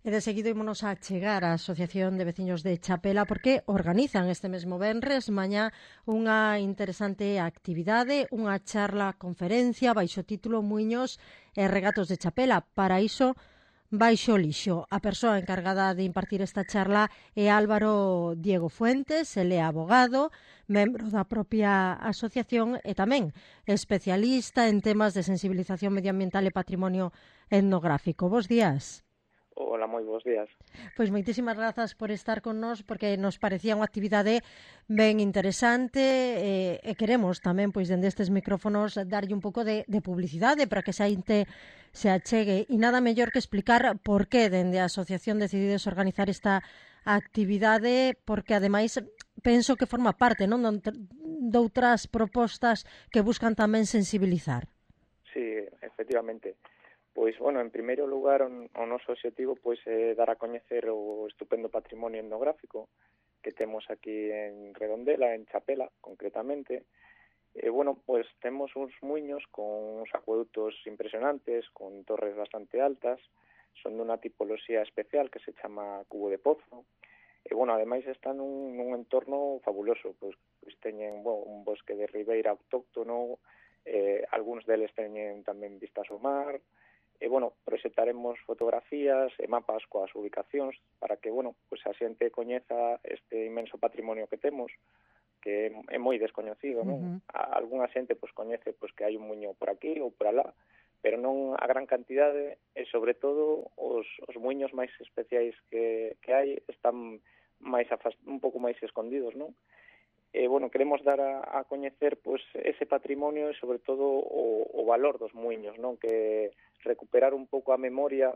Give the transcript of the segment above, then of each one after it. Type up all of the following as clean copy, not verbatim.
E de seguido ímonos a chegar á Asociación de Veciños de Chapela porque organizan este mesmo venres mañá unha interesante actividade, unha charla conferencia baixo o título Muiños e Regatos de Chapela. Para iso, baixo lixo. A persoa encargada de impartir esta charla é Álvaro Diego Fuentes, ele é abogado, membro da propia asociación e tamén especialista en temas de sensibilización medioambiental e patrimonio etnográfico. Bos días. Hola, moi bons días. Pois moitísimas grazas por estar con nós porque nos parecía unha actividade ben interesante e queremos tamén, pois, dende estes micrófonos darlle un pouco de publicidade para que a xente se achegue e nada mellor que explicar por que dende a asociación decidides organizar esta actividade porque ademais penso que forma parte, non, doutras propostas que buscan tamén sensibilizar. Sí, efectivamente. Pois, bueno, en primeiro lugar, o noso objetivo pois, é dar a coñecer o estupendo patrimonio etnográfico que temos aquí en Redondela, en Chapela, concretamente. Bueno, pois temos uns muiños con uns acueductos impresionantes, con torres bastante altas, son dunha tipoloxía especial que se chama cubo de pozo. Bueno, ademais están nun entorno fabuloso, pois teñen un bosque de ribeira autóctono, algúns deles teñen tamén vistas ao mar. Bueno, proxectaremos fotografías e mapas coas ubicacións para que, bueno, pues a xente coñeza este inmenso patrimonio que temos, que é moi descoñecido, non? Algúna xente pues coñece pues que hai un muiño por aquí ou por alá, pero non a gran cantidade e sobre todo os muiños máis especiais que hai están máis un pouco máis escondidos, non? Bueno, queremos dar a coñecer pues ese patrimonio e sobre todo o valor dos muiños, non? Que recuperar un pouco a memoria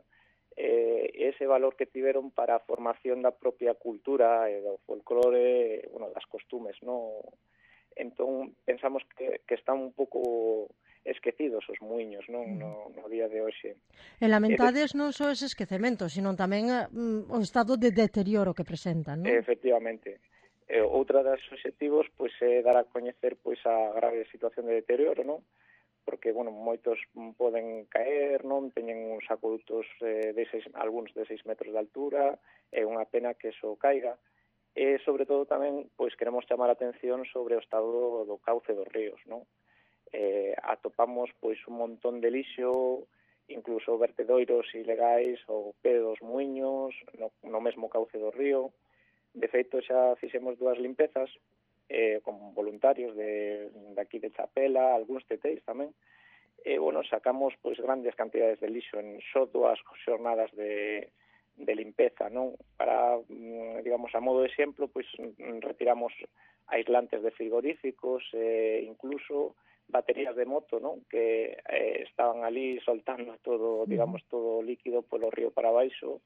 ese valor que tiveron para a formación da propia cultura e do folclore, bueno, das costumes, non? Entón, pensamos que están un pouco esquecidos os muiños, non? No día de hoxe. E lamentades non só ese esquecemento, sino tamén o estado de deterioro que presentan, non? Efectivamente. Outra das obxectivos pois é dar a coñecer pois a grave situación de deterioro, non? Porque, bueno, moitos poden caer, non? Teñen uns acuedutos algúns de 6 metros de altura, é unha pena que eso caiga. E, sobre todo, tamén, pois, queremos chamar a atención sobre o estado do cauce dos ríos, non? Atopamos, pois, un montón de lixo, incluso vertedoiros ilegais ou pé dos muiños, no mesmo cauce do río. De feito, xa fixemos 2 limpezas, con voluntarios de aquí de Chapela, algúns teteis tamén, bueno, sacamos pois grandes cantidades de lixo en só 2 xornadas de limpeza, non? Para, digamos, a modo de exemplo, pois retiramos aislantes de frigoríficos, incluso baterías de moto, non? Que estaban ali soltando todo, digamos, todo o líquido polo río para baixo.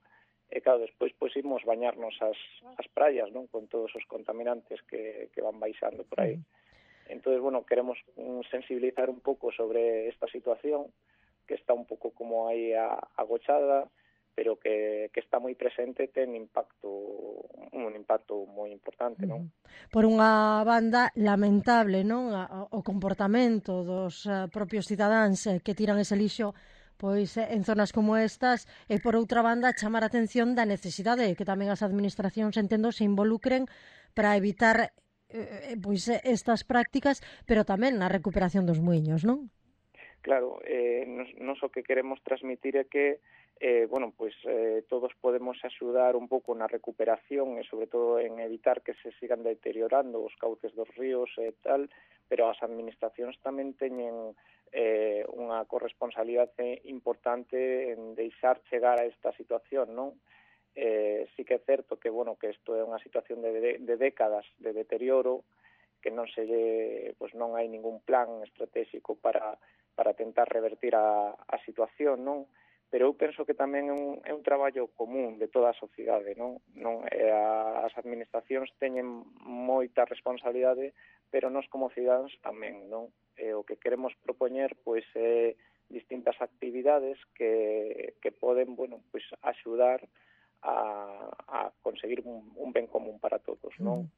E claro, despois pois imos bañarnos as praias, non? Con todos os contaminantes que van baixando por aí. Entonces, bueno, queremos sensibilizar un pouco sobre esta situación que está un pouco como aí agochada, pero que está moi presente, ten un impacto moi importante, non? Por unha banda, lamentable, non? O comportamento dos propios cidadáns que tiran ese lixo pois en zonas como estas e por outra banda chamar a atención da necesidade de que tamén as administracións entendo se involucren para evitar pois estas prácticas, pero tamén na recuperación dos muiños, non? Claro, nos o que queremos transmitir é que bueno, pois todos podemos axudar un pouco na recuperación e sobre todo en evitar que se sigan deteriorando os cauces dos ríos e tal, pero as administracións tamén teñen unha corresponsabilidade importante en deixar chegar a esta situación, non? Sí que é certo que, bueno, que isto é unha situación de décadas de deterioro, que non non hai ningún plan estratégico para tentar revertir a situación, non? Pero eu penso que tamén é un traballo común de toda a sociedade, non? As administracións teñen moita responsabilidade, pero nós como cidadáns tamén, non? O que queremos propoñer pois é distintas actividades que poden, bueno, pois axudar a conseguir un ben común para todos, non?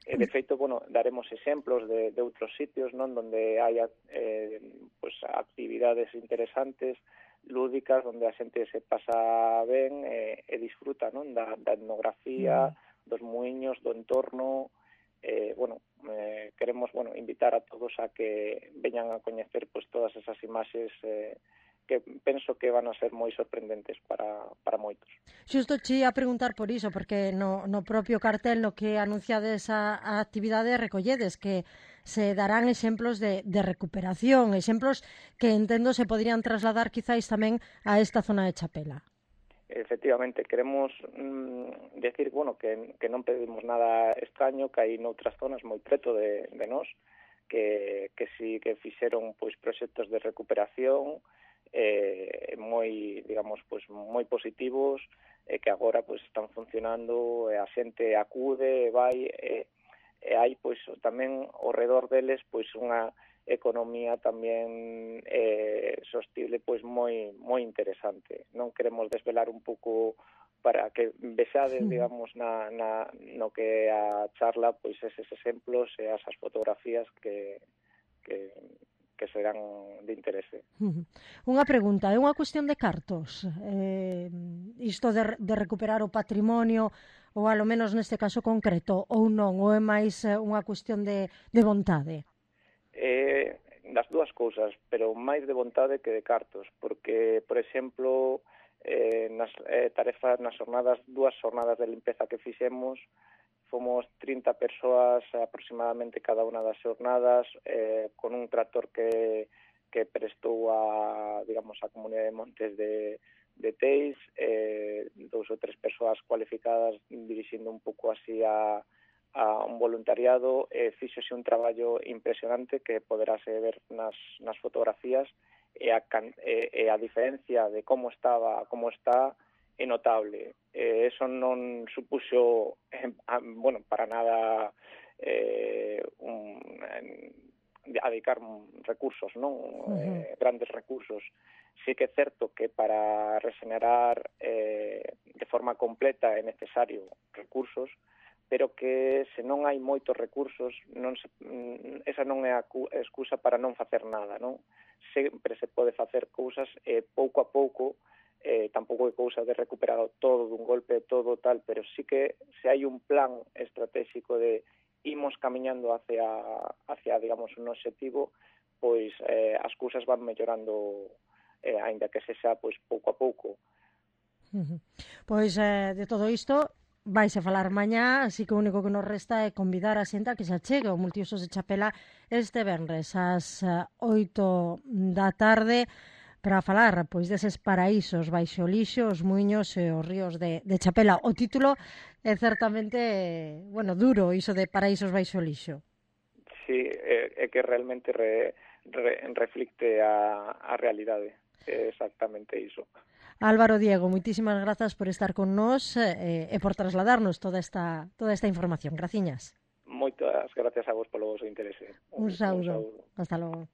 De feito, bueno, daremos exemplos de outros sitios, non, donde hai pois actividades interesantes lúdicas onde a xente se pasa ben e disfruta, non, da etnografía, dos muiños, do entorno. Queremos invitar a todos a que veñan a coñecer pois todas esas imaxes que penso que van a ser moi sorprendentes para moitos. Xusto che ia preguntar por iso, porque no propio cartel no que anunciades a actividade recolledes que se darán exemplos de recuperación, exemplos que entendo se poderían trasladar quizáis tamén a esta zona de Chapela. Efectivamente, queremos decir, que non pedimos nada extraño, que hai noutras zonas moi preto de nós, que si que fixeron pois proxectos de recuperación moi, digamos, pois moi positivos, que agora pois están funcionando, a xente acude, vai, e hai pois tamén ao redor deles pois unha economía tamén sostible pois moi interesante. Non queremos desvelar un pouco para que vexades, digamos, no que a charla pois eses exemplos e esas fotografías que serán de interese. Unha pregunta, é unha cuestión de cartos? Isto de recuperar o patrimonio, ou alo menos neste caso concreto, ou non, ou é máis unha cuestión de vontade? Das dúas cousas, pero máis de vontade que de cartos, porque, por exemplo, nas tarefas, nas dúas jornadas de limpeza que fixemos, fomos 30 persoas aproximadamente cada unha das jornadas, con un tractor que prestou a Comunidade de Montes de Teis, 2 ou 3 persoas cualificadas dirixindo un pouco así a un voluntariado. Fíxose un traballo impresionante que poderase ver nas fotografías, e a diferencia de como estaba a como está é notable. Eso non supuxo para nada dedicar recursos, non? Grandes recursos. Sí que é certo que para regenerar de forma completa é necesario recursos, pero que se non hai moitos recursos, esa non é a excusa para non facer nada, non? Sempre se pode facer cousas pouco a pouco, tampouco é cousa de recuperar todo dun golpe, todo tal, pero sí que se hai un plan estratégico de imos camiñando hacia digamos, un objetivo, pois as cousas van mellorando, aínda que sexa pois pouco a pouco. Pois de todo isto vais a falar mañá, así que o único que nos resta é convidar a xente a que se achegue ao Multiusos de Chapela este venres ás 8 da tarde para falar pois deses paraísos baixo o lixo, os muiños e os ríos de Chapela. O título é certamente, duro, iso de paraísos baixo o lixo. Sí, é que realmente reflicte a realidade. É exactamente iso. Álvaro Diego, moitísimas grazas por estar con nós e por trasladarnos toda esta información. Graciñas. Moitas gracias a vos polo vosso interese. Un saúdo. Hasta logo.